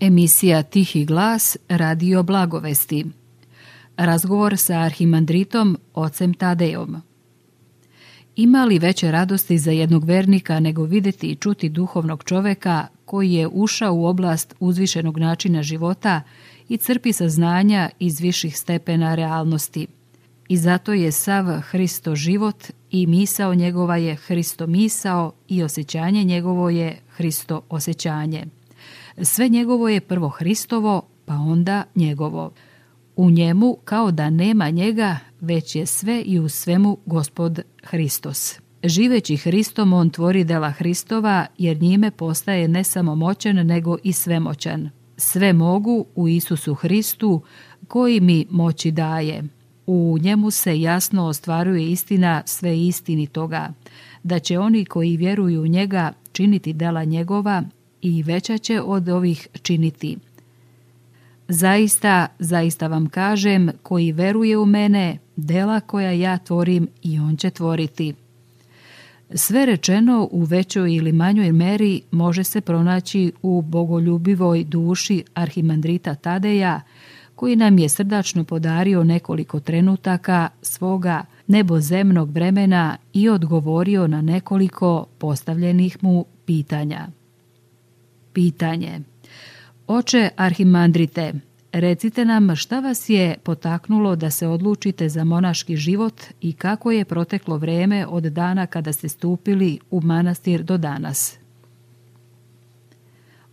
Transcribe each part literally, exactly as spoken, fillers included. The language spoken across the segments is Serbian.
Emisija Tihi glas, radio Blagovesti. Razgovor sa arhimandritom ocem Tadejom. Ima li veće radosti za jednog vernika nego vidjeti i čuti duhovnog čoveka koji je ušao u oblast uzvišenog načina života i crpi saznanja iz viših stepena realnosti? I zato je sav Hristo život i misao njegova je Hristo misao i osjećanje njegovo je Hristo osjećanje. Sve njegovo je prvo Hristovo, pa onda njegovo. U njemu kao da nema njega, već je sve i u svemu Gospod Hristos. Živeći Hristom, on tvori dela Hristova, jer njime postaje ne samo moćan, nego i svemoćan. Sve mogu u Isusu Hristu, koji mi moći daje. U njemu se jasno ostvaruje istina sve istinitoga, da će oni koji vjeruju u njega činiti dela njegova i veća će od ovih činiti. Zaista, zaista vam kažem, koji veruje u mene, dela koja ja tvorim i on će tvoriti. Sve rečeno u većoj ili manjoj meri može se pronaći u bogoljubivoj duši arhimandrita Tadeja, koji nam je srdačno podario nekoliko trenutaka svoga nebozemnog vremena i odgovorio na nekoliko postavljenih mu pitanja. Pitanje. Oče arhimandrite, recite nam šta vas je potaknulo da se odlučite za monaški život i kako je proteklo vrijeme od dana kada ste stupili u manastir do danas.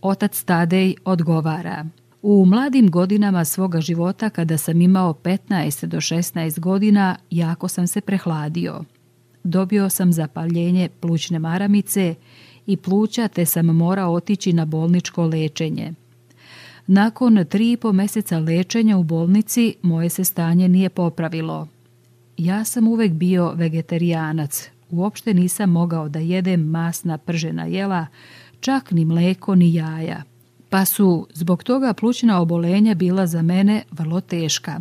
Otac Tadej odgovara. U mladim godinama svoga života, kada sam imao petnaest do šesnaest godina, jako sam se prehladio. Dobio sam zapaljenje plućne maramice i pluća, te sam morao otići na bolničko lečenje. Nakon tri i po mjeseca lečenja u bolnici moje se stanje nije popravilo. Ja sam uvek bio vegetarijanac, uopšte nisam mogao da jedem masna pržena jela, čak ni mleko ni jaja, pa su zbog toga plućna obolenja bila za mene vrlo teška.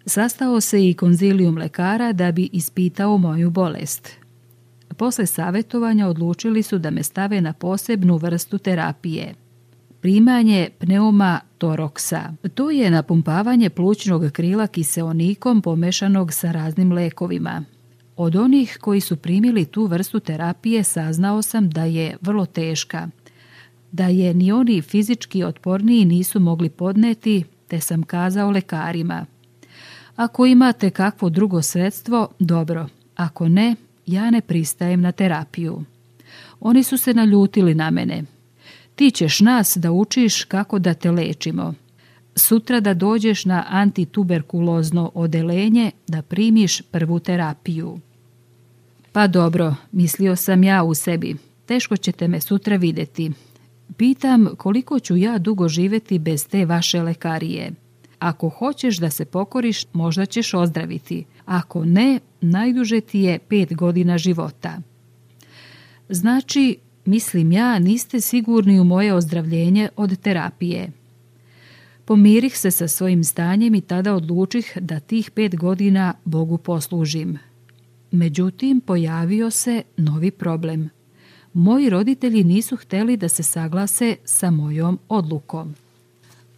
Sastao se i konzilijum lekara da bi ispitao moju bolest. Posle savjetovanja odlučili su da me stave na posebnu vrstu terapije. Primanje pneumatoroksa. To je napumpavanje plućnog krila kiseonikom pomešanog sa raznim lekovima. Od onih koji su primili tu vrstu terapije saznao sam da je vrlo teška, da je ni oni fizički otporniji nisu mogli podneti, te sam kazao lekarima: ako imate kakvo drugo sredstvo, dobro, ako ne, ja ne pristajem na terapiju. Oni su se naljutili na mene. Ti ćeš nas da učiš kako da te lečimo. Sutra da dođeš na antituberkulozno odelenje da primiš prvu terapiju. Pa dobro, mislio sam ja u sebi, teško ćete me sutra vidjeti. Pitam koliko ću ja dugo živjeti bez te vaše lekarije. Ako hoćeš da se pokoriš, možda ćeš ozdraviti. Ako ne, najduže ti je pet godina života. Znači, mislim ja, niste sigurni u moje ozdravljenje od terapije. Pomirih se sa svojim stanjem i tada odlučih da tih pet godina Bogu poslužim. Međutim, pojavio se novi problem. Moji roditelji nisu htjeli da se saglase sa mojom odlukom.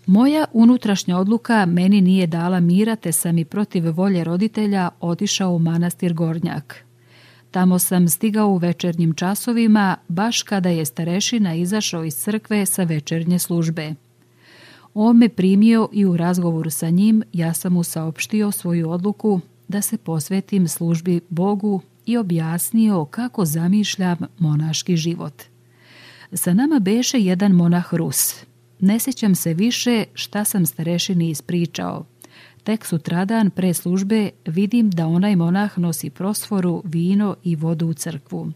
Moja unutrašnja odluka meni nije dala mira, te sam i protiv volje roditelja otišao u manastir Gornjak. Tamo sam stigao u večernjim časovima, baš kada je starešina izašao iz crkve sa večernje službe. On me primio i u razgovoru sa njim ja sam mu saopštio svoju odluku da se posvetim službi Bogu i objasnio kako zamišljam monaški život. Sa nama beše jedan monah Rus. Ne sjećam se više šta sam starešini ispričao. Tek sutradan pre službe vidim da onaj monah nosi prosforu, vino i vodu u crkvu.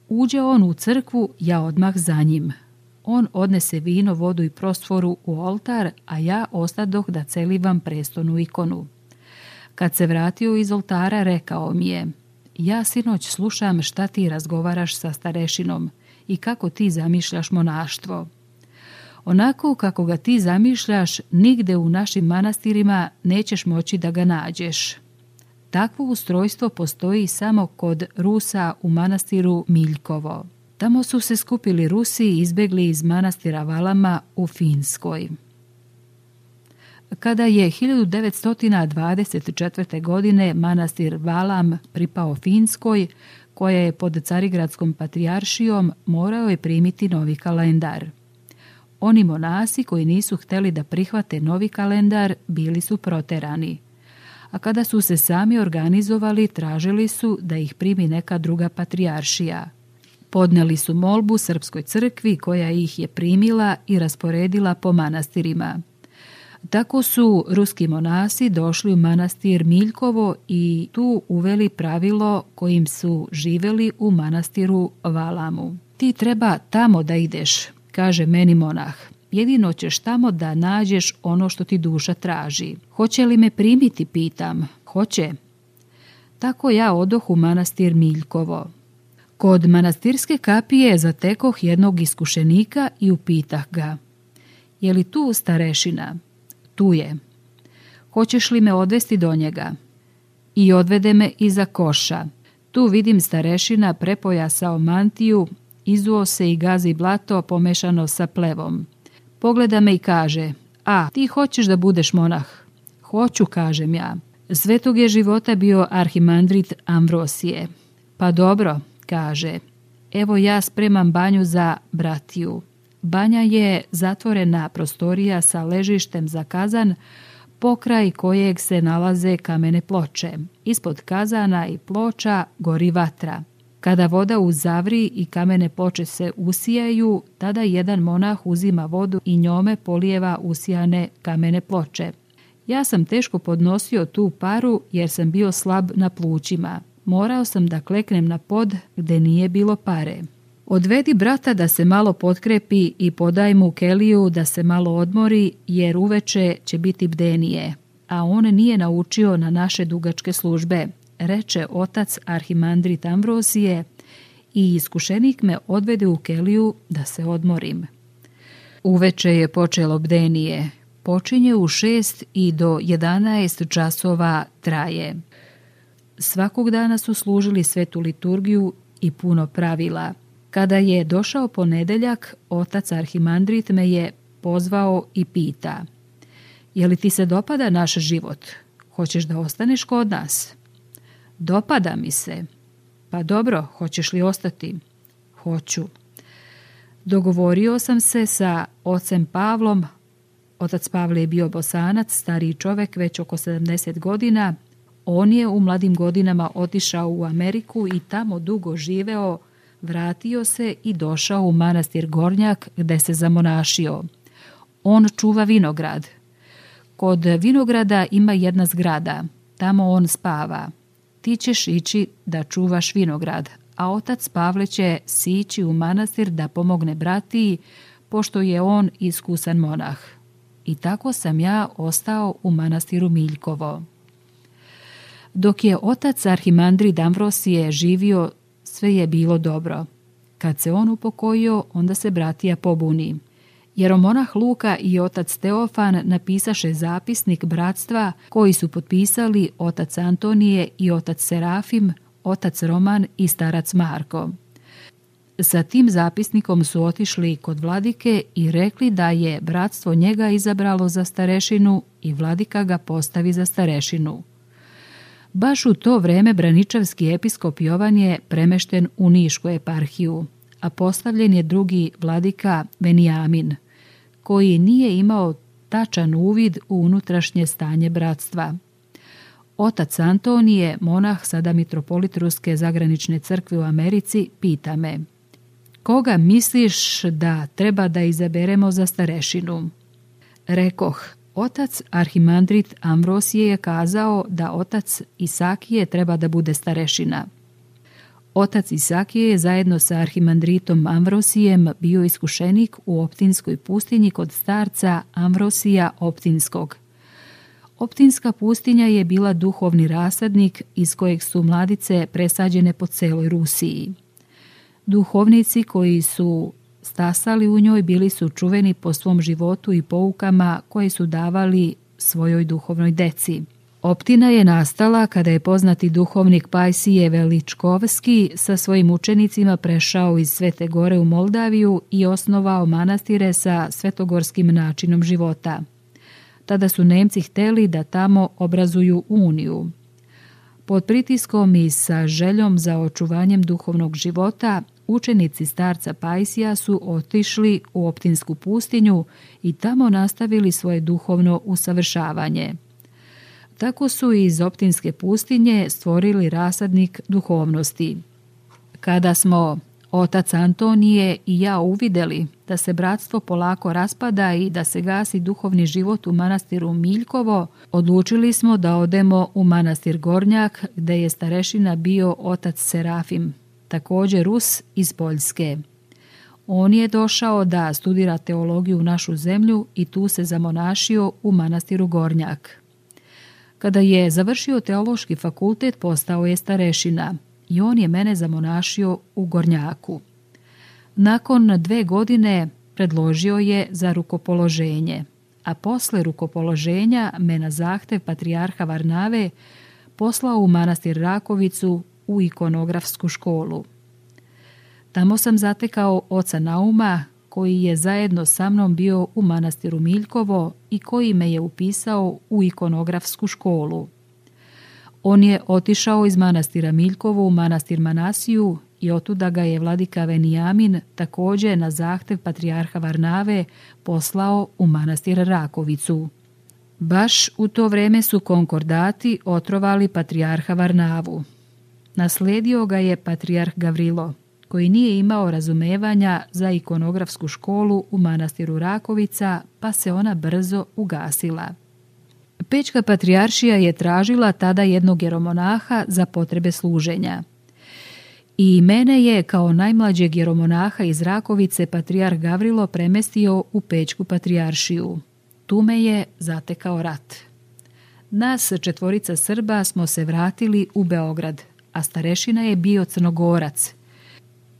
Uđe on u crkvu, ja odmah za njim. On odnese vino, vodu i prosforu u oltar, a ja ostadoh da celivam prestonu ikonu. Kad se vratio iz oltara, rekao mi je: ja sinoć slušam šta ti razgovaraš sa starešinom i kako ti zamišljaš monaštvo. Onako kako ga ti zamišljaš, nigde u našim manastirima nećeš moći da ga nađeš. Takvo ustrojstvo postoji samo kod Rusa u manastiru Miljkovo. Tamo su se skupili Rusi i izbjegli iz manastira Valama u Finskoj. Kada je hiljadu devetsto dvadeset četvrte. godine manastir Valam pripao Finskoj, koja je pod Carigradskom patrijaršijom, morao je primiti novi kalendar. Oni monasi koji nisu htjeli da prihvate novi kalendar bili su proterani, a kada su se sami organizovali tražili su da ih primi neka druga patrijaršija. Podneli su molbu Srpskoj crkvi koja ih je primila i rasporedila po manastirima. Tako su ruski monasi došli u manastir Miljkovo i tu uveli pravilo kojim su živjeli u manastiru Valamu. Ti treba tamo da ideš, kaže meni monah. Jedino ćeš tamo da nađeš ono što ti duša traži. Hoće li me primiti, pitam. Hoće. Tako ja odoh u manastir Miljkovo. Kod manastirske kapije zatekoh jednog iskušenika i upitah ga: je li tu starešina? Tu je. Hoćeš li me odvesti do njega? I odvede me iza koša. Tu vidim starešina prepojasao mantiju, izuo se i gazi blato pomešano sa plevom. Pogleda me i kaže: a, ti hoćeš da budeš monah? Hoću, kažem ja. Svetog je života bio arhimandrit Amvrosije. Pa dobro, kaže, evo ja spremam banju za bratiju. Banja je zatvorena prostorija sa ležištem za kazan, pokraj kojeg se nalaze kamene ploče. Ispod kazana i ploča gori vatra. Kada voda uzavri i kamene ploče se usijaju, tada jedan monah uzima vodu i njome polijeva usijane kamene ploče. Ja sam teško podnosio tu paru jer sam bio slab na plućima. Morao sam da kleknem na pod gde nije bilo pare. Odvedi brata da se malo potkrepi i podaj mu keliju da se malo odmori, jer uveče će biti bdenije, a on nije naučio na naše dugačke službe, reče otac arhimandrit Amvrosije, i iskušenik me odvede u keliju da se odmorim. Uveče je počelo bdenije. Počinje u šest i do jedanaest časova traje. Svakog dana su služili svetu liturgiju i puno pravila. Kada je došao ponedeljak, otac arhimandrit me je pozvao i pita: je li ti se dopada naš život? Hoćeš da ostaneš kod nas? Dopada mi se. Pa dobro, hoćeš li ostati? Hoću. Dogovorio sam se sa ocem Pavlom. Otac Pavle je bio Bosanac, stariji čovek, već oko sedamdeset godina. On je u mladim godinama otišao u Ameriku i tamo dugo živeo, vratio se i došao u manastir Gornjak gde se zamonašio. On čuva vinograd. Kod vinograda ima jedna zgrada, tamo on spava. Ti ćeš ići da čuvaš vinograd, a otac Pavle će sići u manastir da pomogne bratiji, pošto je on iskusan monah. I tako sam ja ostao u manastiru Miljkovo. Dok je otac arhimandrit Amvrosije živio, sve je bilo dobro. Kad se on upokojio, onda se bratija pobuni. Jeromonah Luka i otac Teofan napisaše zapisnik bratstva koji su potpisali otac Antonije i otac Serafim, otac Roman i starac Marko. Sa tim zapisnikom su otišli kod vladike i rekli da je bratstvo njega izabralo za starešinu i vladika ga postavi za starešinu. Baš u to vreme braničavski episkop Jovan je premešten u Nišku eparhiju, a postavljen je drugi vladika Venijamin, koji nije imao tačan uvid u unutrašnje stanje bratstva. Otac Antonije, monah, sada mitropolit Ruske zagranične crkve u Americi, pita me: koga misliš da treba da izaberemo za starešinu? Rekoh: otac arhimandrit Amvrosije je kazao da otac Isakije treba da bude starešina. Otac Isakije je zajedno sa arhimandritom Amvrosijem bio iskušenik u Optinskoj pustinji kod starca Amvrosija Optinskog. Optinska pustinja je bila duhovni rasadnik iz kojeg su mladice presađene po celoj Rusiji. Duhovnici koji su stasali u njoj bili su čuveni po svom životu i poukama koje su davali svojoj duhovnoj deci. Optina je nastala kada je poznati duhovnik Pajsije Veličkovski sa svojim učenicima prešao iz Svete Gore u Moldaviju i osnovao manastire sa svetogorskim načinom života. Tada su Nemci hteli da tamo obrazuju uniju. Pod pritiskom i sa željom za očuvanjem duhovnog života, učenici starca Pajsija su otišli u Optinsku pustinju i tamo nastavili svoje duhovno usavršavanje. Tako su iz Optinske pustinje stvorili rasadnik duhovnosti. Kada smo otac Antonije i ja uvideli da se bratstvo polako raspada i da se gasi duhovni život u manastiru Miljkovo, odlučili smo da odemo u manastir Gornjak, gde je starešina bio otac Serafim, također Rus iz Poljske. On je došao da studira teologiju u našu zemlju i tu se zamonašio u manastiru Gornjak. Kada je završio teološki fakultet, postao je starešina i on je mene zamonašio u Gornjaku. Nakon dve godine predložio je za rukopoloženje, a posle rukopoloženja me na zahtev patrijarha Varnave poslao u manastir Rakovicu u ikonografsku školu. Tamo sam zatekao oca Nauma, koji je zajedno sa mnom bio u manastiru Miljkovo i koji me je upisao u ikonografsku školu. On je otišao iz manastira Miljkovo u manastir Manasiju i otuda ga je vladika Venijamin također na zahtev patrijarha Varnave poslao u manastir Rakovicu. Baš u to vreme su konkordati otrovali patrijarha Varnavu. Naslijedio ga je patrijarh Gavrilo, koji nije imao razumevanja za ikonografsku školu u manastiru Rakovica, pa se ona brzo ugasila. Pečka patrijaršija je tražila tada jednog jeromonaha za potrebe služenja. I mene je kao najmlađeg jeromonaha iz Rakovice patrijarh Gavrilo premestio u Pečku patrijaršiju. Tu me je zatekao rat. Nas četvorica Srba smo se vratili u Beograd, a starešina je bio Crnogorac.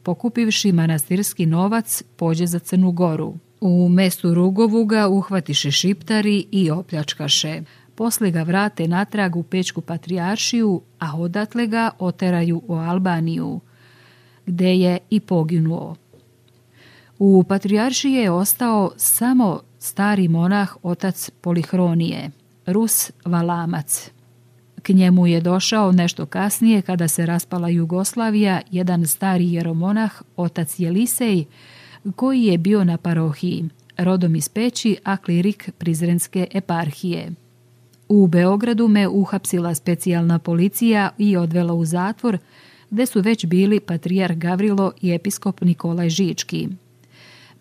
Pokupivši manastirski novac, pođe za Crnu Goru. U mestu Rugovu ga uhvatiše šiptari i opljačkaše. Posle ga vrate natrag u Pečku patrijaršiju, a odatle ga oteraju u Albaniju, gde je i poginuo. U patrijaršiji je ostao samo stari monah otac Polihronije, Rus Valamac. K njemu je došao nešto kasnije, kada se raspala Jugoslavija, jedan stari jeromonah otac Jelisej, koji je bio na parohiji, rodom iz Peći, a klirik Prizrenske eparhije. U Beogradu me uhapsila specijalna policija i odvela u zatvor, gde su već bili patrijarh Gavrilo i episkop Nikolaj Žički.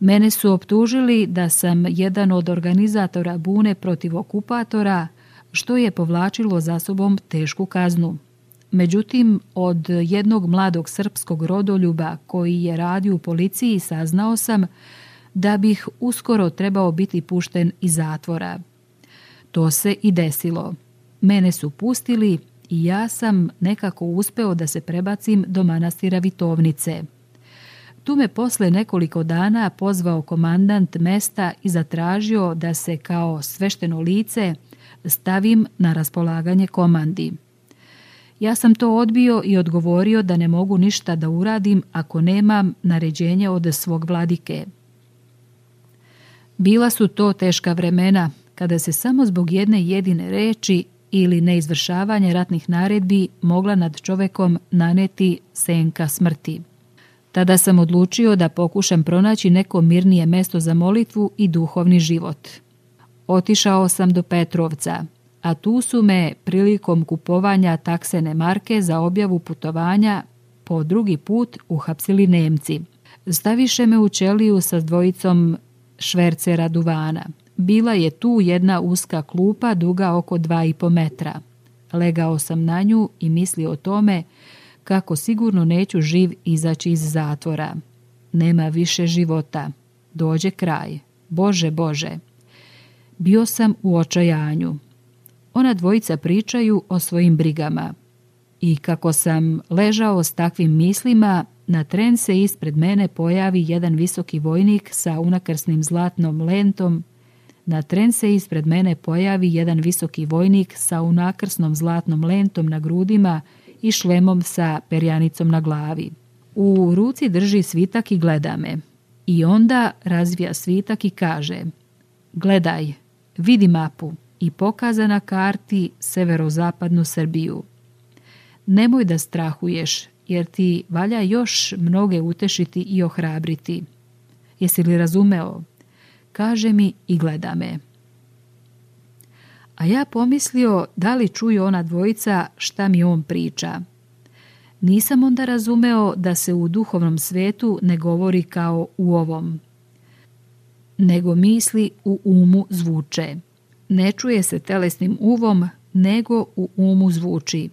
Mene su optužili da sam jedan od organizatora bune protiv okupatora, što je povlačilo za sobom tešku kaznu. Međutim, od jednog mladog srpskog rodoljuba koji je radio u policiji saznao sam da bih uskoro trebao biti pušten iz zatvora. To se i desilo. Mene su pustili i ja sam nekako uspeo da se prebacim do manastira Vitovnice. Tu me posle nekoliko dana pozvao komandant mesta i zatražio da se kao svešteno lice stavim na raspolaganje komandi. Ja sam to odbio i odgovorio da ne mogu ništa da uradim ako nemam naređenje od svog vladike. Bila su to teška vremena, kada se samo zbog jedne jedine reči ili neizvršavanje ratnih naredbi mogla nad čovekom naneti senka smrti. Tada sam odlučio da pokušam pronaći neko mirnije mesto za molitvu i duhovni život. Otišao sam do Petrovca, a tu su me prilikom kupovanja taksene marke za objavu putovanja po drugi put uhapsili Nemci. Staviše me u ćeliju sa dvojicom švercera duvana. Bila je tu jedna uska klupa duga oko dva i po metra. Legao sam na nju i mislio o tome kako sigurno neću živ izaći iz zatvora. Nema više života. Dođe kraj. Bože, Bože. Bio sam u očajanju. Ona dvojica pričaju o svojim brigama. I kako sam ležao s takvim mislima, na tren se ispred mene pojavi jedan visoki vojnik sa unakrsnim zlatnom lentom. Na tren se ispred mene pojavi jedan visoki vojnik sa unakrsnom zlatnom lentom na grudima i šlemom sa perjanicom na glavi. U ruci drži svitak i gleda me. I onda razvija svitak i kaže: gledaj, vidi mapu, i pokaza na karti severozapadnu Srbiju. Nemoj da strahuješ, jer ti valja još mnoge utešiti i ohrabriti. Jesi li razumeo? Kaže mi i gleda me. A ja pomislio da li čuju ona dvojica šta mi on priča. Nisam onda razumeo da se u duhovnom svetu ne govori kao u ovom, nego misli u umu zvuče. Ne čuje se telesnim uvom, nego u umu zvuči.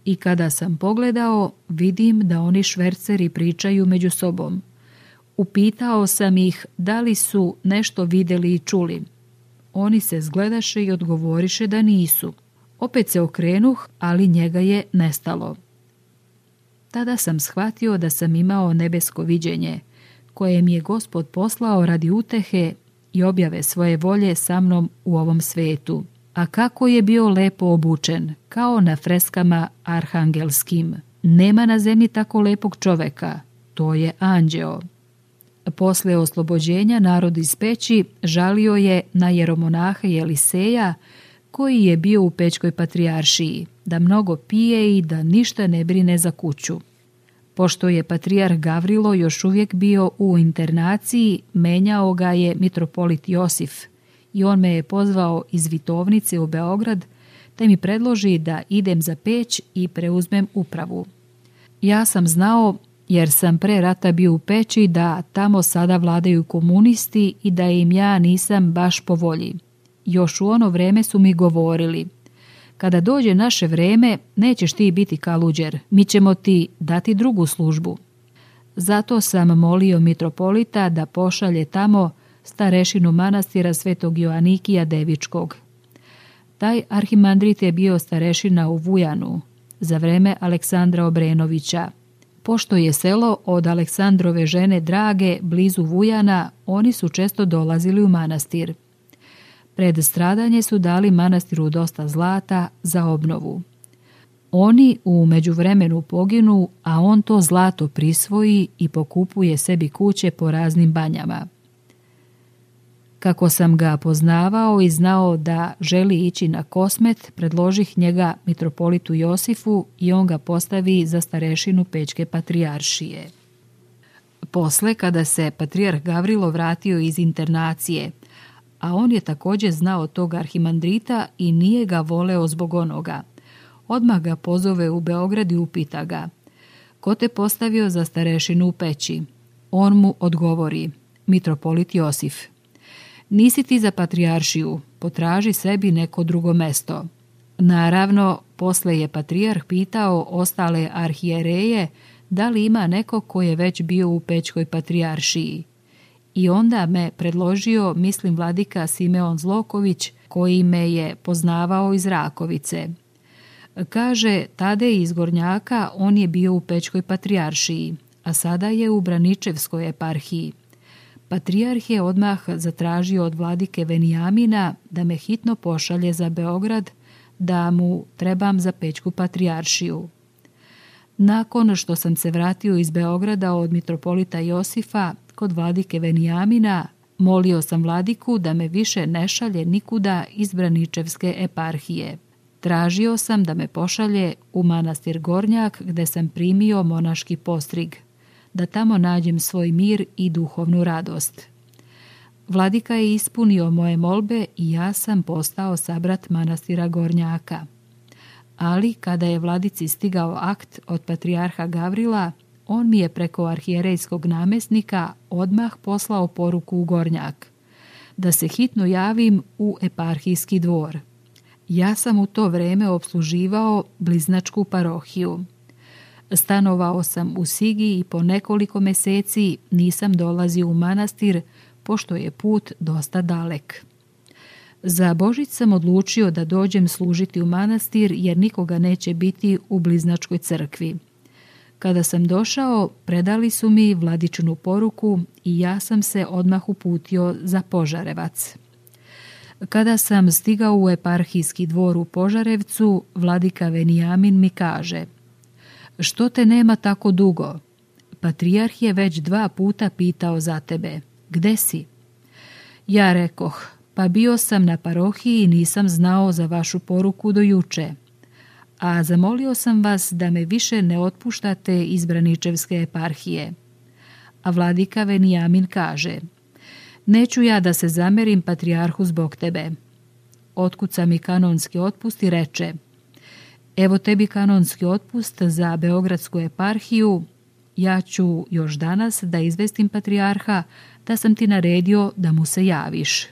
I kada sam pogledao, vidim da oni šverceri pričaju među sobom. Upitao sam ih da li su nešto vidjeli i čuli. Oni se zgledaše i odgovoriše da nisu. Opet se okrenuh, ali njega je nestalo. Tada sam shvatio da sam imao nebesko viđenje, koje mi je Gospod poslao radi utehe i objave svoje volje sa mnom u ovom svetu. A kako je bio lepo obučen, kao na freskama arhangelskim. Nema na zemlji tako lepog čoveka, to je anđeo. Posle oslobođenja narod iz peći žalio je na jeromonaha Jeliseja, koji je bio u Pećkoj patrijaršiji, da mnogo pije i da ništa ne brine za kuću. Pošto je patrijarh Gavrilo još uvijek bio u internaciji, menjao ga je mitropolit Josif i on me je pozvao iz Vitovnice u Beograd, te mi predloži da idem za Peć i preuzmem upravu. Ja sam znao, jer sam pre rata bio u Peći, da tamo sada vladaju komunisti i da im ja nisam baš po volji. Još u ono vreme su mi govorili: kada dođe naše vreme, nećeš ti biti kaluđer, mi ćemo ti dati drugu službu. Zato sam molio mitropolita da pošalje tamo starešinu manastira Svetog Joanikija Devičkog. Taj arhimandrit je bio starešina u Vujanu za vreme Aleksandra Obrenovića. Pošto je selo od Aleksandrove žene Drage blizu Vujana, oni su često dolazili u manastir. Pred stradanje su dali manastiru dosta zlata za obnovu. Oni u međuvremenu poginu, a on to zlato prisvoji i pokupuje sebi kuće po raznim banjama. Kako sam ga poznavao i znao da želi ići na Kosmet, predložih njega mitropolitu Josifu i on ga postavi za starešinu Pećke patrijaršije. Posle, kada se patrijarh Gavrilo vratio iz internacije, a on je također znao tog arhimandrita i nije ga voleo zbog onoga, odmah ga pozove u Beograd i upita ga: ko te postavio za starešinu u Peći? On mu odgovori: mitropolit Josif. Nisi ti za patrijaršiju, potraži sebi neko drugo mesto. Naravno, posle je patrijarh pitao ostale arhijereje da li ima neko ko je već bio u Pećkoj patrijaršiji. I onda me predložio, mislim, vladika Simeon Zloković, koji me je poznavao iz Rakovice. Kaže, tade iz Gornjaka on je bio u Pećkoj patrijaršiji, a sada je u Braničevskoj eparhiji. Patrijarh je odmah zatražio od vladike Venijamina da me hitno pošalje za Beograd, da mu trebam za Pećku patrijaršiju. Nakon što sam se vratio iz Beograda od mitropolita Josifa kod vladike Venijamina, molio sam vladiku da me više ne šalje nikuda iz Braničevske eparhije. Tražio sam da me pošalje u manastir Gornjak gdje sam primio monaški postrig, da tamo nađem svoj mir i duhovnu radost. Vladika je ispunio moje molbe i ja sam postao sabrat manastira Gornjaka. Ali kada je vladici stigao akt od patrijarha Gavrila, on mi je preko arhijerejskog namjesnika odmah poslao poruku u Gornjak, da se hitno javim u eparhijski dvor. Ja sam u to vrijeme opsluživao bliznačku parohiju. Stanovao sam u Sigi i po nekoliko mjeseci nisam dolazio u manastir, pošto je put dosta dalek. Za Božić sam odlučio da dođem služiti u manastir jer nikoga neće biti u bliznačkoj crkvi. Kada sam došao, predali su mi vladičinu poruku i ja sam se odmah uputio za Požarevac. Kada sam stigao u eparhijski dvor u Požarevcu, vladika Venijamin mi kaže: što te nema tako dugo? Patrijarh je već dva puta pitao za tebe. Gde si? Ja rekoh: pa bio sam na parohiji i nisam znao za vašu poruku do juče. A zamolio sam vas da me više ne otpuštate iz Braničevske eparhije. A vladika Venijamin kaže: neću ja da se zamerim patrijarhu zbog tebe. Otkuca mi kanonski otpust i reče: evo tebi kanonski otpust za Beogradsku eparhiju, ja ću još danas da izvestim patrijarha da sam ti naredio da mu se javiš.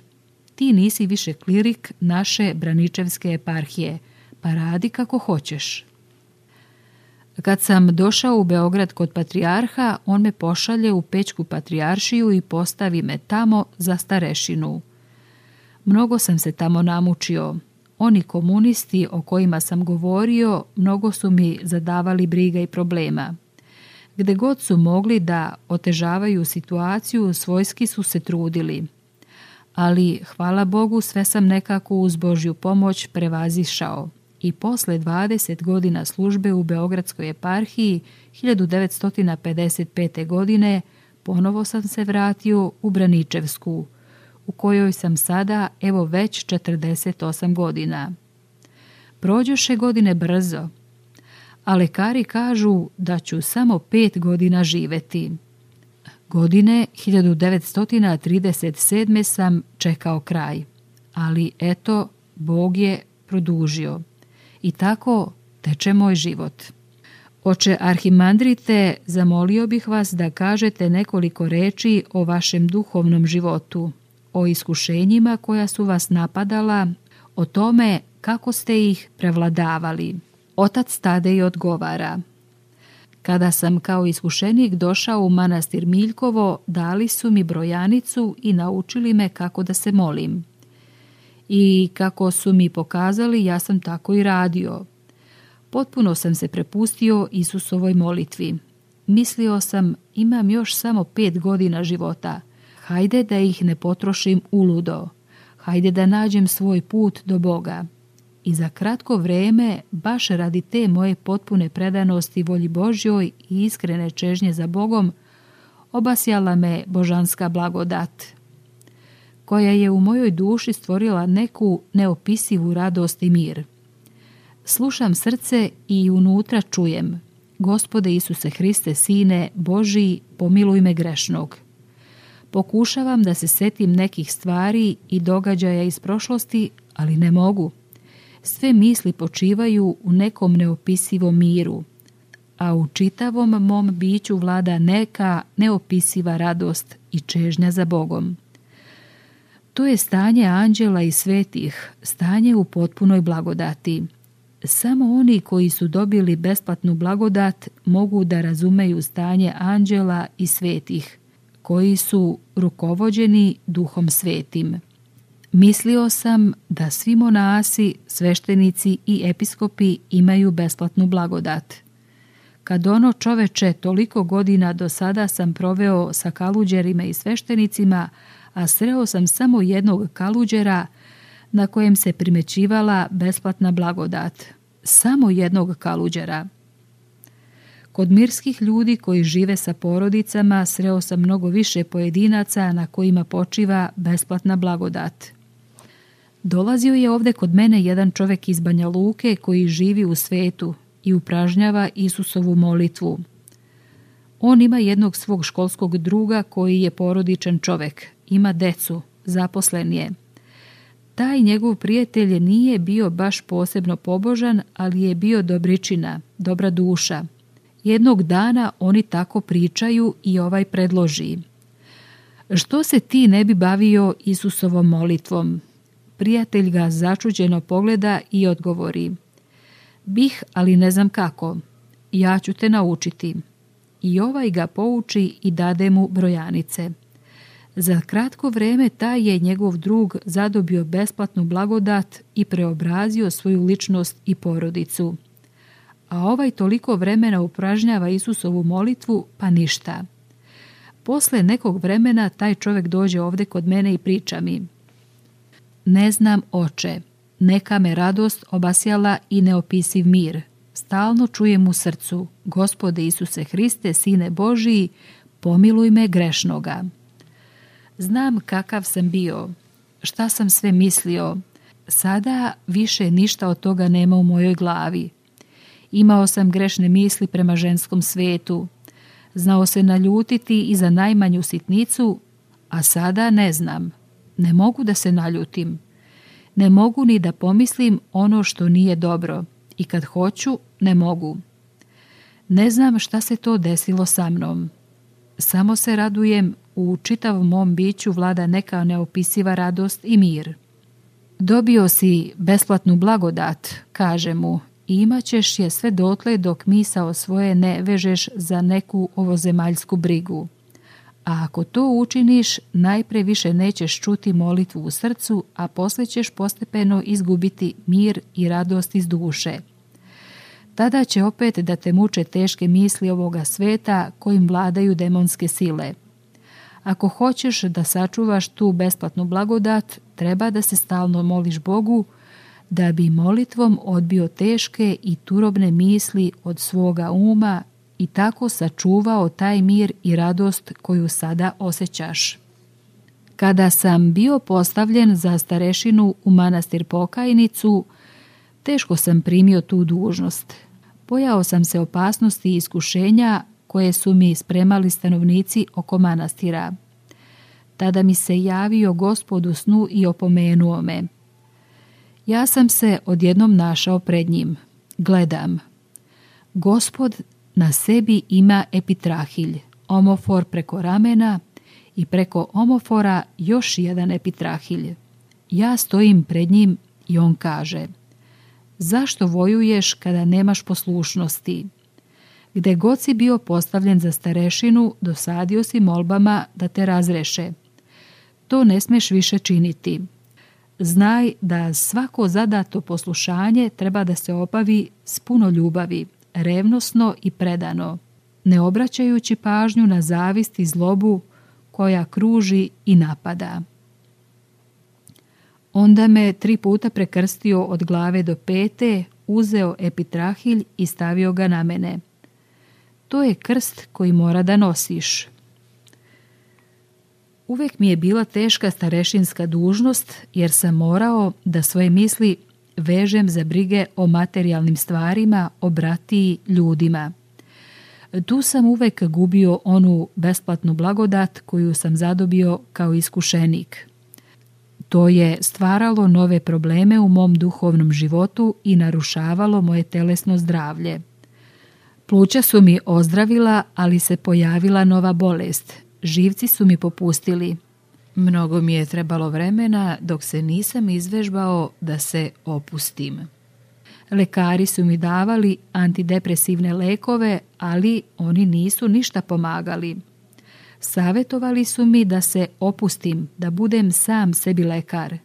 Ti nisi više klirik naše Braničevske eparhije, pa radi kako hoćeš. Kad sam došao u Beograd kod patrijarha, on me pošalje u Pećku patrijaršiju i postavi me tamo za starešinu. Mnogo sam se tamo namučio. Oni komunisti o kojima sam govorio, mnogo su mi zadavali briga i problema. Gde god su mogli da otežavaju situaciju, svojski su se trudili. Ali, hvala Bogu, sve sam nekako uz Božju pomoć prevazišao i posle dvadeset godina službe u Beogradskoj eparhiji hiljadu devetsto pedeset pete. godine ponovo sam se vratio u Braničevsku, u kojoj sam sada evo već četrdeset osam godina. Prođoše godine brzo, a lekari kažu da ću samo pet godina živeti. Godine hiljadu devetsto trideset sedme. sam čekao kraj, ali eto, Bog je produžio. I tako teče moj život. Oče arhimandrite, zamolio bih vas da kažete nekoliko reči o vašem duhovnom životu, o iskušenjima koja su vas napadala, o tome kako ste ih prevladavali. Otac Tadej odgovara: kada sam kao iskušenik došao u manastir Miljkovo, dali su mi brojanicu i naučili me kako da se molim. I kako su mi pokazali, ja sam tako i radio. Potpuno sam se prepustio Isusovoj molitvi. Mislio sam, imam još samo pet godina života. Hajde da ih ne potrošim uludo. Hajde da nađem svoj put do Boga. I za kratko vrijeme, baš radi te moje potpune predanosti volji Božjoj i iskrene čežnje za Bogom, obasjala me božanska blagodat, koja je u mojoj duši stvorila neku neopisivu radost i mir. Slušam srce i unutra čujem: Gospode Isuse Hriste, Sine Božiji, pomiluj me grešnog. Pokušavam da se setim nekih stvari i događaja iz prošlosti, ali ne mogu. Sve misli počivaju u nekom neopisivom miru, a u čitavom mom biću vlada neka neopisiva radost i čežnja za Bogom. To je stanje anđela i svetih, stanje u potpunoj blagodati. Samo oni koji su dobili besplatnu blagodat mogu da razumeju stanje anđela i svetih, koji su rukovođeni Duhom Svetim. Mislio sam da svi monasi, sveštenici i episkopi imaju besplatnu blagodat. Kad ono čoveče, toliko godina do sada sam proveo sa kaluđerima i sveštenicima, a sreo sam samo jednog kaluđera na kojem se primećivala besplatna blagodat. Samo jednog kaluđera. Kod mirskih ljudi koji žive sa porodicama sreo sam mnogo više pojedinaca na kojima počiva besplatna blagodat. Dolazio je ovdje kod mene jedan čovjek iz Banja Luke koji živi u svetu i upražnjava Isusovu molitvu. On ima jednog svog školskog druga koji je porodičan čovjek, ima decu, zaposlen je. Taj njegov prijatelj nije bio baš posebno pobožan, ali je bio dobričina, dobra duša. Jednog dana oni tako pričaju i ovaj predloži: što se ti ne bi bavio Isusovom molitvom? Prijatelj ga začuđeno pogleda i odgovori: bih, ali ne znam kako. Ja ću te naučiti. I ovaj ga pouči i dade mu brojanice. Za kratko vrijeme taj je njegov drug zadobio besplatnu blagodat i preobrazio svoju ličnost i porodicu. A ovaj toliko vremena upražnjava Isusovu molitvu, pa ništa. Posle nekog vremena taj čovjek dođe ovdje kod mene i priča mi: ne znam, oče, neka me radost obasjala i neopisiv mir. Stalno čujem u srcu: Gospode Isuse Hriste, Sine Božiji, pomiluj me grešnoga. Znam kakav sam bio, šta sam sve mislio. Sada više ništa od toga nema u mojoj glavi. Imao sam grešne misli prema ženskom svetu. Znao se naljutiti i za najmanju sitnicu, a sada ne znam. Ne mogu da se naljutim. Ne mogu ni da pomislim ono što nije dobro. I kad hoću, ne mogu. Ne znam šta se to desilo sa mnom. Samo se radujem, u čitavom mom biću vlada neka neopisiva radost i mir. Dobio si besplatnu blagodat, kaže mu, i imat ćeš je sve dotle dok misao svoje ne vežeš za neku ovozemaljsku brigu. A ako to učiniš, najpre više nećeš čuti molitvu u srcu, a poslije ćeš postepeno izgubiti mir i radost iz duše. Tada će opet da te muče teške misli ovoga sveta kojim vladaju demonske sile. Ako hoćeš da sačuvaš tu besplatnu blagodat, treba da se stalno moliš Bogu, da bi molitvom odbio teške i turobne misli od svoga uma i tako sačuvao taj mir i radost koju sada osjećaš. Kada sam bio postavljen za starešinu u manastir Pokajnicu, teško sam primio tu dužnost. Bojao sam se opasnosti i iskušenja koje su mi spremali stanovnici oko manastira. Tada mi se javio Gospod u snu i opomenuo me. Ja sam se odjednom našao pred njim. Gledam. Gospod na sebi ima epitrahilj, omofor preko ramena i preko omofora još jedan epitrahilj. Ja stojim pred njim i on kaže: zašto vojuješ kada nemaš poslušnosti? Gde god si bio postavljen za starešinu, dosadio si molbama da te razreše. To ne smeš više činiti. Znaj da svako zadato poslušanje treba da se obavi s puno ljubavi, revnosno i predano, ne obraćajući pažnju na zavist i zlobu koja kruži i napada. Onda me tri puta prekrstio od glave do pete, uzeo epitrahilj i stavio ga na mene. To je krst koji mora da nosiš. Uvijek mi je bila teška starešinska dužnost jer sam morao da svoje misli vežem za brige o materijalnim stvarima, o bratiji, ljudima. Tu sam uvijek gubio onu besplatnu blagodat koju sam zadobio kao iskušenik. To je stvaralo nove probleme u mom duhovnom životu i narušavalo moje telesno zdravlje. Pluća su mi ozdravila, ali se pojavila nova bolest. Živci su mi popustili. Mnogo mi je trebalo vremena dok se nisam izvežbao da se opustim. Lekari su mi davali antidepresivne lekove, ali oni nisu ništa pomagali. Savjetovali su mi da se opustim, da budem sam sebi lekar.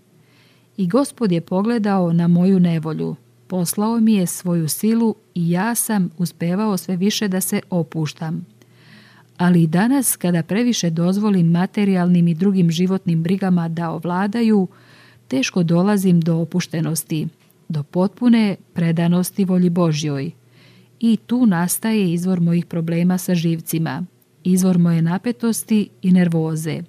I Gospod je pogledao na moju nevolju. Poslao mi je svoju silu i ja sam uspevao sve više da se opuštam. Ali i danas, kada previše dozvolim materijalnim i drugim životnim brigama da ovladaju, teško dolazim do opuštenosti, do potpune predanosti volji Božjoj. I tu nastaje izvor mojih problema sa živcima, izvor moje napetosti i nervoze.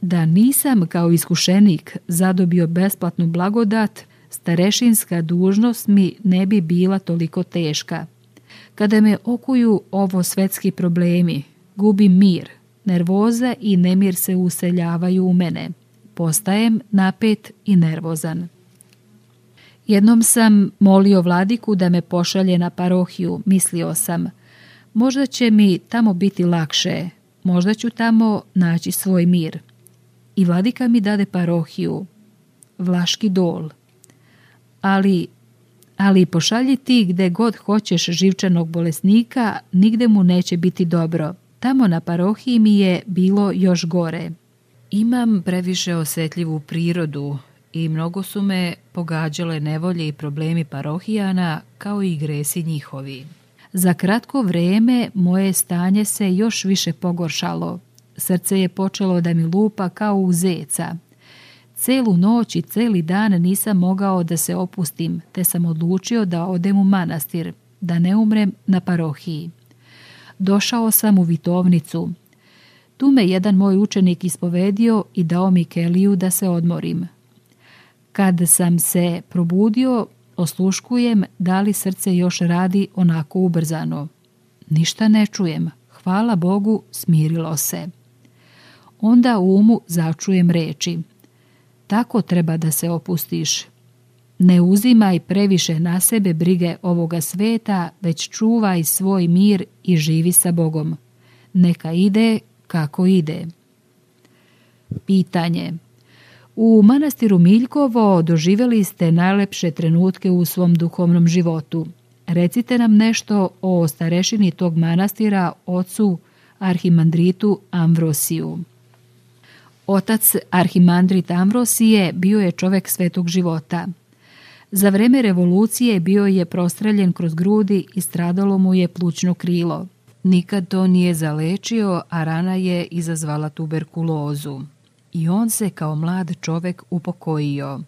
Da nisam kao iskušenik zadobio besplatnu blagodat, starešinska dužnost mi ne bi bila toliko teška. Kada me okuju ovo svetski problemi, gubim mir, nervoza i nemir se useljavaju u mene. Postajem napet i nervozan. Jednom sam molio vladiku da me pošalje na parohiju, mislio sam, možda će mi tamo biti lakše, možda ću tamo naći svoj mir. I vladika mi dade parohiju, Vlaški Dol. Ali, ali pošalji ti gde god hoćeš živčanog bolesnika, nigde mu neće biti dobro. Tamo na parohiji mi je bilo još gore. Imam previše osjetljivu prirodu i mnogo su me pogađale nevolje i problemi parohijana kao i gresi njihovi. Za kratko vrijeme moje stanje se još više pogoršalo. Srce je počelo da mi lupa kao u zeca. Celu noć i celi dan nisam mogao da se opustim, te sam odlučio da odem u manastir, da ne umrem na parohiji. Došao sam u Vitovnicu. Tu me jedan moj učenik ispovedio i dao mi keliju da se odmorim. Kad sam se probudio, osluškujem da li srce još radi onako ubrzano. Ništa ne čujem. Hvala Bogu, smirilo se. Onda u umu začujem reči. Tako treba da se opustiš. Ne uzimaj previše na sebe brige ovoga sveta, već čuvaj svoj mir i živi sa Bogom. Neka ide kako ide. Pitanje. U manastiru Miljkovo doživjeli ste najlepše trenutke u svom duhovnom životu. Recite nam nešto o starešini tog manastira, ocu arhimandritu Amvrosiju. Otac arhimandrit Amvrosije bio je čovjek svetog života. Za vreme revolucije bio je prostreljen kroz grudi i stradalo mu je plućno krilo. Nikad to nije zalečio, a rana je izazvala tuberkulozu. I on se kao mlad čovjek upokojio.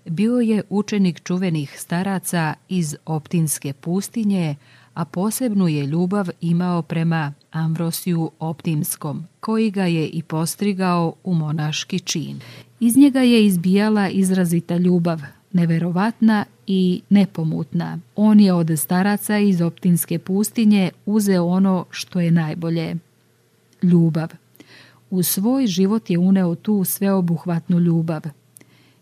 Bio je učenik čuvenih staraca iz Optinske pustinje, a posebnu je ljubav imao prema Amvrosiju Optimskom, koji ga je i postrigao u monaški čin. Iz njega je izbijala izrazita ljubav, neverovatna i nepomutna. On je od staraca iz Optinske pustinje uzeo ono što je najbolje. Ljubav. U svoj život je uneo tu sveobuhvatnu ljubav.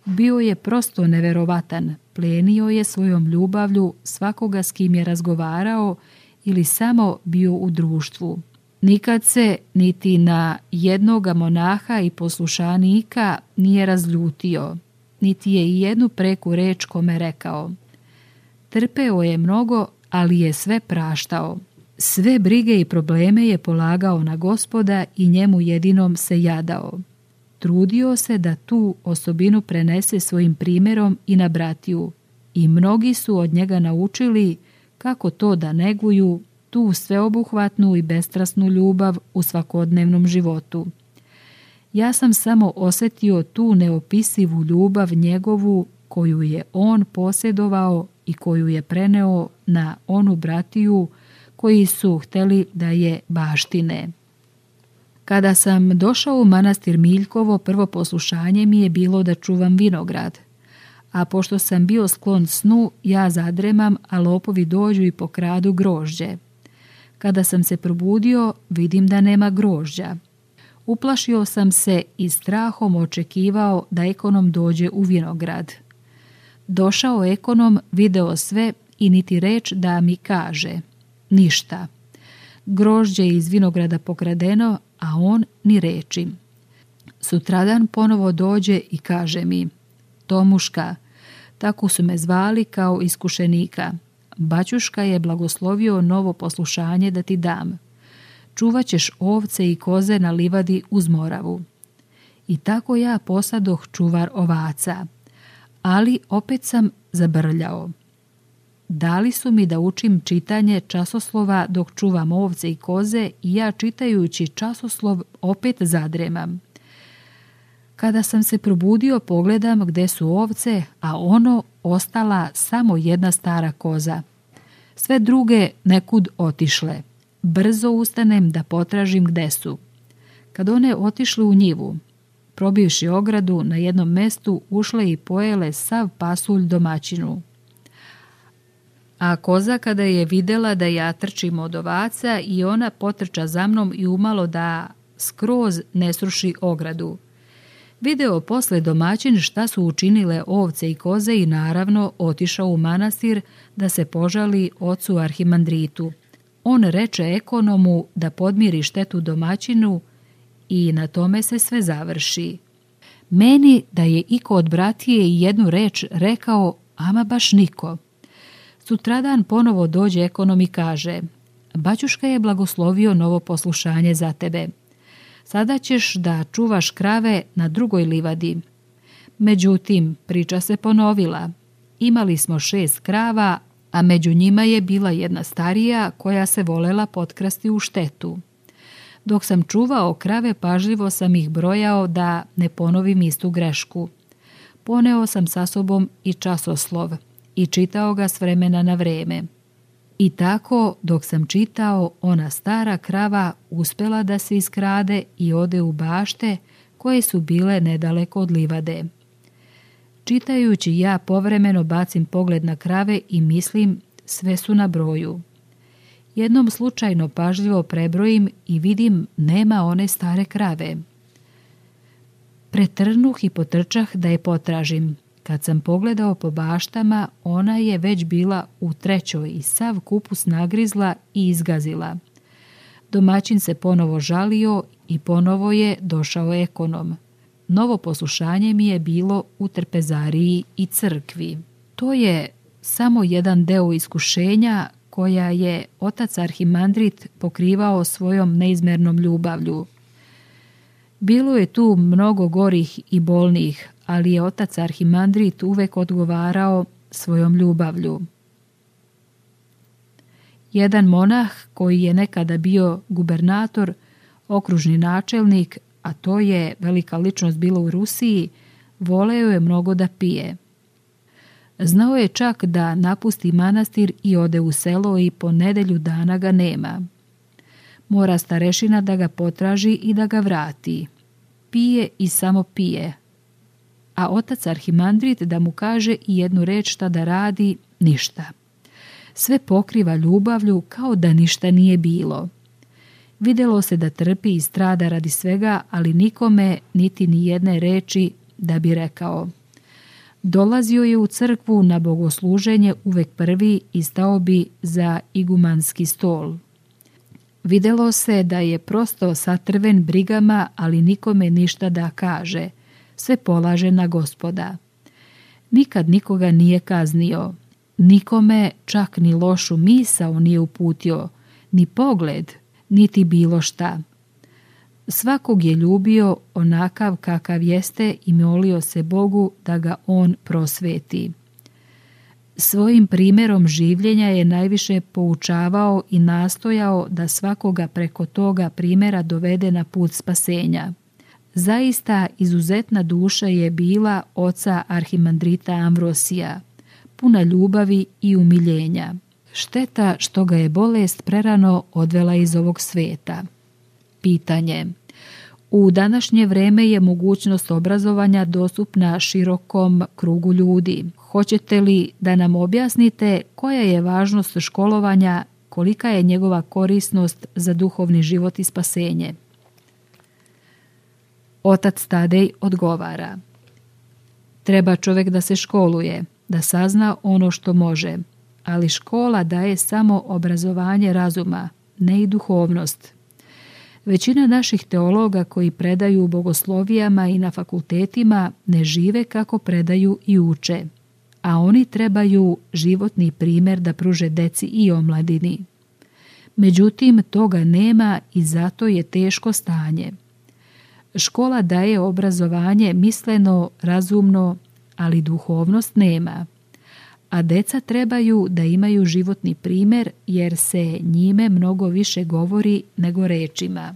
Bio je prosto neverovatan, plenio je svojom ljubavlju svakoga s kim je razgovarao ili samo bio u društvu. Nikad se niti na jednoga monaha i poslušanika nije razljutio, niti je i jednu preku reč kome rekao. Trpeo je mnogo, ali je sve praštao. Sve brige i probleme je polagao na Gospoda i njemu jedinom se jadao. Trudio se da tu osobinu prenese svojim primjerom i na bratiju i mnogi su od njega naučili kako to da neguju tu sveobuhvatnu i bestrasnu ljubav u svakodnevnom životu. Ja sam samo osjetio tu neopisivu ljubav njegovu koju je on posjedovao i koju je preneo na onu bratiju koji su htjeli da je baštine. Kada sam došao u manastir Miljkovo, prvo poslušanje mi je bilo da čuvam vinograd. A pošto sam bio sklon snu, ja zadremam, a lopovi dođu i pokradu grožđe. Kada sam se probudio, vidim da nema grožđa. Uplašio sam se i strahom očekivao da ekonom dođe u vinograd. Došao ekonom, video sve i niti reč da mi kaže. Ništa. Grožđe je iz vinograda pokradeno, a on ni reči. Sutradan ponovo dođe i kaže mi, Tomuška, tako su me zvali kao iskušenika. Baćuška je blagoslovio novo poslušanje da ti dam. Čuvat ćeš ovce i koze na livadi uz Moravu. I tako ja posadoh čuvar ovaca, ali opet sam zabrljao. Dali su mi da učim čitanje časoslova dok čuvam ovce i koze i ja čitajući časoslov opet zadremam. Kada sam se probudio pogledam gde su ovce, a ono ostala samo jedna stara koza. Sve druge nekud otišle. Brzo ustanem da potražim gde su. Kad one otišle u njivu, probivši ogradu, na jednom mestu ušle i pojele sav pasulj domaćinu. A koza kada je vidjela da ja trčim od ovaca i ona potrča za mnom i umalo da skroz ne sruši ogradu. Video posle domaćin šta su učinile ovce i koze i naravno otišao u manastir da se požali ocu arhimandritu. On reče ekonomu da podmiri štetu domaćinu i na tome se sve završi. Meni da je iko od bratije i jednu reč rekao, ama baš niko. Sutradan ponovo dođe ekonom i kaže, baćuška je blagoslovio novo poslušanje za tebe. Sada ćeš da čuvaš krave na drugoj livadi. Međutim, priča se ponovila. Imali smo šest krava, a među njima je bila jedna starija koja se volela potkrasti u štetu. Dok sam čuvao krave, pažljivo sam ih brojao da ne ponovim istu grešku. Poneo sam sa sobom i časoslov i čitao ga s vremena na vreme. I tako, dok sam čitao, ona stara krava uspela da se iskrade i ode u bašte koje su bile nedaleko od livade. Čitajući ja povremeno bacim pogled na krave i mislim sve su na broju. Jednom slučajno pažljivo prebrojim i vidim nema one stare krave. Pretrnuh i potrčah da je potražim. Kad sam pogledao po baštama, ona je već bila u trećoj i sav kupus nagrizla i izgazila. Domaćin se ponovo žalio i ponovo je došao ekonom. Novo poslušanje mi je bilo u trpezariji i crkvi. To je samo jedan deo iskušenja koja je otac arhimandrit pokrivao svojom neizmernom ljubavlju. Bilo je tu mnogo gorih i bolnih, ali je otac arhimandrit uvek odgovarao svojom ljubavlju. Jedan monah koji je nekada bio gubernator, okružni načelnik, a to je velika ličnost bila u Rusiji, voleo je mnogo da pije. Znao je čak da napusti manastir i ode u selo i po nedelju dana ga nema. Mora starešina da ga potraži i da ga vrati. Pije i samo pije. A otac arhimandrit da mu kaže i jednu reč šta da radi, ništa. Sve pokriva ljubavlju kao da ništa nije bilo. Vidjelo se da trpi i strada radi svega, ali nikome niti ni jedne reči da bi rekao. Dolazio je u crkvu na bogosluženje uvek prvi i stao bi za igumanski stol. Vidjelo se da je prosto satrven brigama, ali nikome ništa da kaže. Sve polaže na Gospoda. Nikad nikoga nije kaznio. Nikome čak ni lošu misao nije uputio, ni pogled, niti bilo šta. Svakog je ljubio onakav kakav jeste i molio se Bogu da ga on prosveti. Svojim primjerom življenja je najviše poučavao i nastojao da svakoga preko toga primjera dovede na put spasenja. Zaista izuzetna duša je bila oca arhimandrita Amvrosija, puna ljubavi i umiljenja. Šteta što ga je bolest prerano odvela iz ovog sveta. Pitanje. U današnje vreme je mogućnost obrazovanja dostupna širokom krugu ljudi. Hoćete li da nam objasnite koja je važnost školovanja, kolika je njegova korisnost za duhovni život i spasenje? Otac Tadej odgovara. Treba čovjek da se školuje, da sazna ono što može, ali škola daje samo obrazovanje razuma, ne i duhovnost. Većina naših teologa koji predaju u bogoslovijama i na fakultetima ne žive kako predaju i uče, a oni trebaju životni primjer da pruže deci i omladini. Međutim, toga nema i zato je teško stanje. Škola daje obrazovanje misleno, razumno, ali duhovnost nema. A deca trebaju da imaju životni primjer jer se njime mnogo više govori nego rečima.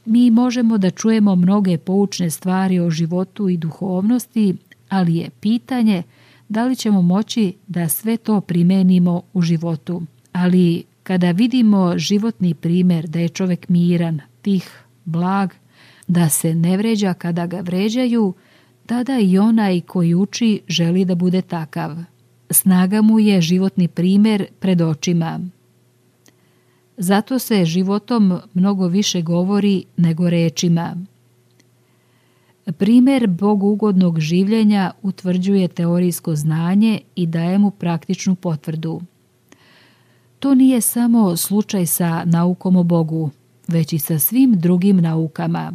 Mi možemo da čujemo mnoge poučne stvari o životu i duhovnosti, ali je pitanje da li ćemo moći da sve to primenimo u životu. Ali kada vidimo životni primjer da je čovjek miran, tih, blag, da se ne vređa kada ga vređaju, tada i onaj koji uči želi da bude takav. Snaga mu je životni primjer pred očima. Zato se životom mnogo više govori nego rečima. Primjer bogugodnog življenja utvrđuje teorijsko znanje i daje mu praktičnu potvrdu. To nije samo slučaj sa naukom o Bogu, već i sa svim drugim naukama.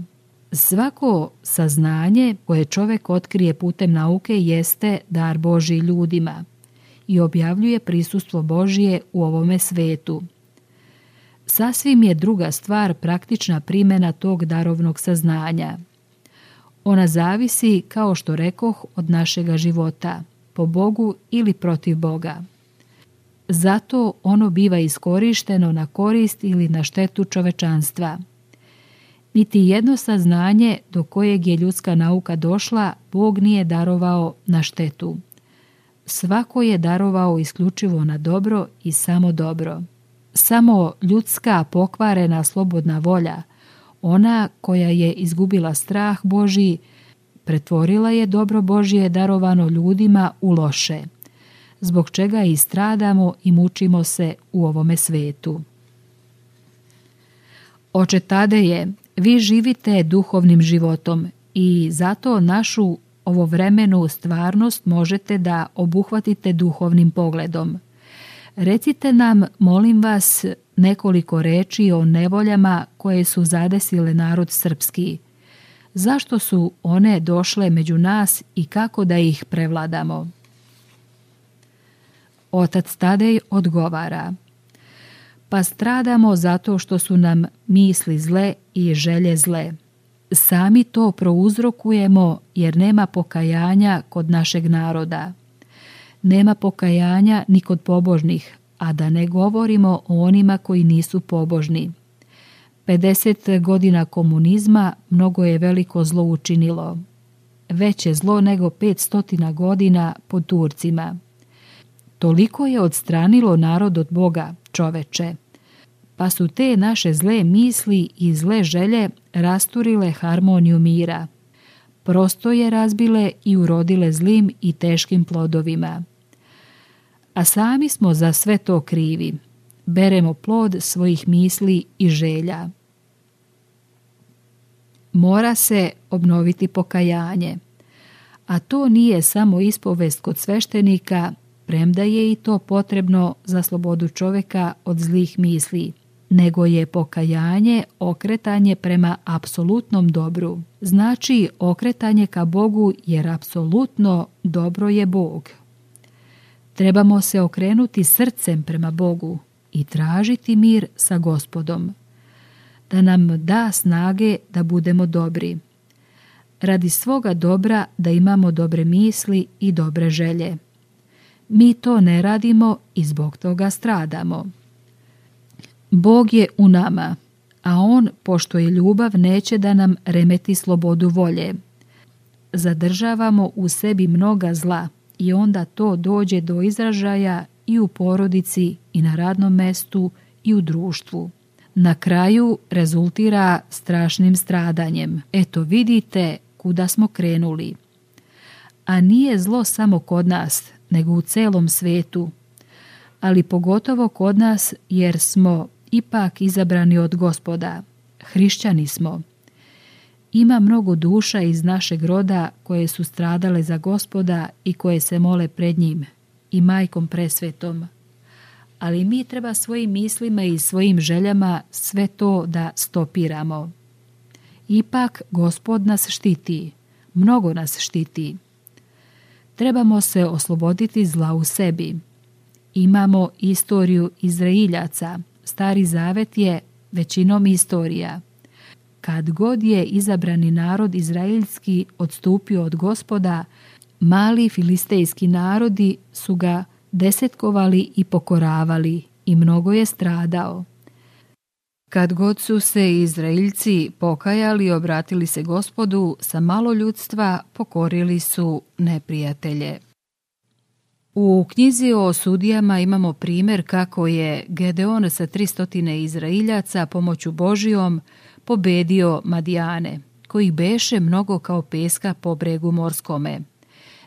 Svako saznanje koje čovjek otkrije putem nauke jeste dar Božji ljudima i objavljuje prisustvo Božje u ovome svetu. Sasvim je druga stvar praktična primjena tog darovnog saznanja. Ona zavisi, kao što rekoh, od našega života, po Bogu ili protiv Boga. Zato ono biva iskorišteno na korist ili na štetu čovečanstva. Niti jedno saznanje do kojeg je ljudska nauka došla, Bog nije darovao na štetu. Svako je darovao isključivo na dobro i samo dobro. Samo ljudska pokvarena slobodna volja, ona koja je izgubila strah Božji, pretvorila je dobro Božje darovano ljudima u loše, zbog čega i stradamo i mučimo se u ovome svetu. Oče Tadeje, vi živite duhovnim životom i zato našu ovovremenu stvarnost možete da obuhvatite duhovnim pogledom. Recite nam, molim vas, nekoliko reči o nevoljama koje su zadesile narod srpski. Zašto su one došle među nas i kako da ih prevladamo? Otac Tadej odgovara: pa stradamo zato što su nam misli zle i želje zle. Sami to prouzrokujemo jer nema pokajanja kod našeg naroda. Nema pokajanja ni kod pobožnih, a da ne govorimo o onima koji nisu pobožni. pedeset godina komunizma mnogo je veliko zlo učinilo. Veće zlo nego petsto godina pod Turcima. Toliko je odstranilo narod od Boga, čoveče, pa su te naše zle misli i zle želje rasturile harmoniju mira. Prosto je razbile i urodile zlim i teškim plodovima. A sami smo za sve to krivi. Beremo plod svojih misli i želja. Mora se obnoviti pokajanje, a to nije samo ispovest kod sveštenika, premda je i to potrebno za slobodu čovjeka od zlih misli, nego je pokajanje okretanje prema apsolutnom dobru. Znači okretanje ka Bogu jer apsolutno dobro je Bog. Trebamo se okrenuti srcem prema Bogu i tražiti mir sa Gospodom, da nam da snage da budemo dobri. Radi svoga dobra da imamo dobre misli i dobre želje. Mi to ne radimo i zbog toga stradamo. Bog je u nama, a On, pošto je ljubav, neće da nam remeti slobodu volje. Zadržavamo u sebi mnoga zla i onda to dođe do izražaja i u porodici i na radnom mestu i u društvu. Na kraju rezultira strašnim stradanjem. Eto vidite kuda smo krenuli. A nije zlo samo kod nas, nego u celom svetu, ali pogotovo kod nas jer smo ipak izabrani od Gospoda. Hrišćani smo. Ima mnogo duša iz našeg roda koje su stradale za Gospoda i koje se mole pred njim i majkom presvetom. Ali mi treba svojim mislima i svojim željama sve to da stopiramo. Ipak Gospod nas štiti, mnogo nas štiti. Trebamo se osloboditi zla u sebi. Imamo istoriju Izraeljaca. Stari zavet je većinom istorija. Kad god je izabrani narod izraelski odstupio od Gospoda, mali filistejski narodi su ga desetkovali i pokoravali i mnogo je stradao. Kad god su se Izraeljci pokajali i obratili se Gospodu, sa malo ljudstva pokorili su neprijatelje. U knjizi o sudijama imamo primjer kako je Gedeon sa tristo Izraeljaca pomoću Božijom pobedio Madijane, kojih beše mnogo kao peska po bregu morskome.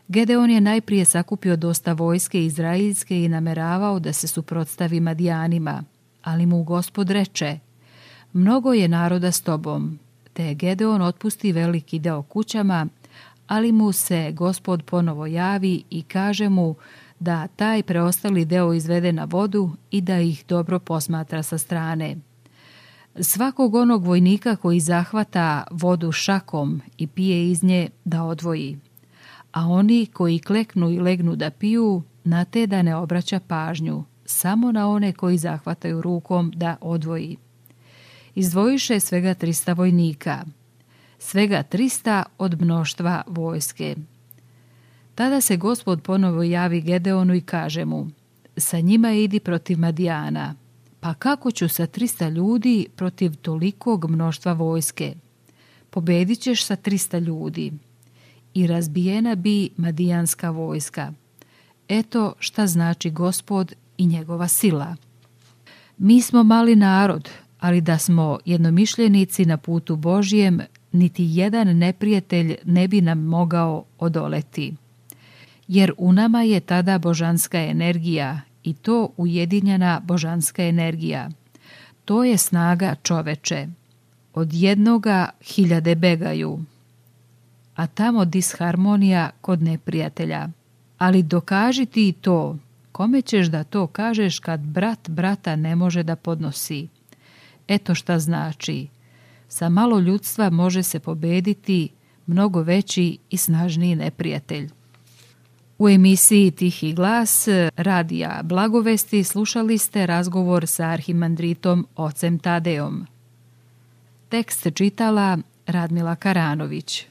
Gedeon je najprije sakupio dosta vojske izraelske i nameravao da se suprotstavi Madijanima, ali mu Gospod reče: mnogo je naroda s tobom, te Gedeon otpusti veliki deo kućama, ali mu se Gospod ponovo javi i kaže mu da taj preostali deo izvede na vodu i da ih dobro posmatra sa strane. Svakog onog vojnika koji zahvata vodu šakom i pije iz nje da odvoji, a oni koji kleknu i legnu da piju, na te da ne obraća pažnju, samo na one koji zahvataju rukom da odvoji. Izdvojiše svega trista vojnika, svega trista od mnoštva vojske. Tada se Gospod ponovo javi Gedeonu i kaže mu: sa njima idi protiv Madijana. Pa kako ću sa trista ljudi protiv tolikog mnoštva vojske? Pobedit ćeš sa trista ljudi. I razbijena bi Madijanska vojska. Eto šta znači Gospod i njegova sila. Mi smo mali narod, ali da smo jednomišljenici na putu Božjem, niti jedan neprijatelj ne bi nam mogao odoleti. Jer u nama je tada božanska energija, i to ujedinjena božanska energija. To je snaga čoveče. Od jednoga hiljade begaju, a tamo disharmonija kod neprijatelja. Ali dokaži ti to. Kome ćeš da to kažeš kad brat brata ne može da podnosi? Eto šta znači. Sa malo ljudstva može se pobediti mnogo veći i snažniji neprijatelj. U emisiji Tihi glas radija Blagovesti slušali ste razgovor sa arhimandritom ocem Tadeom. Tekst čitala Radmila Karanović.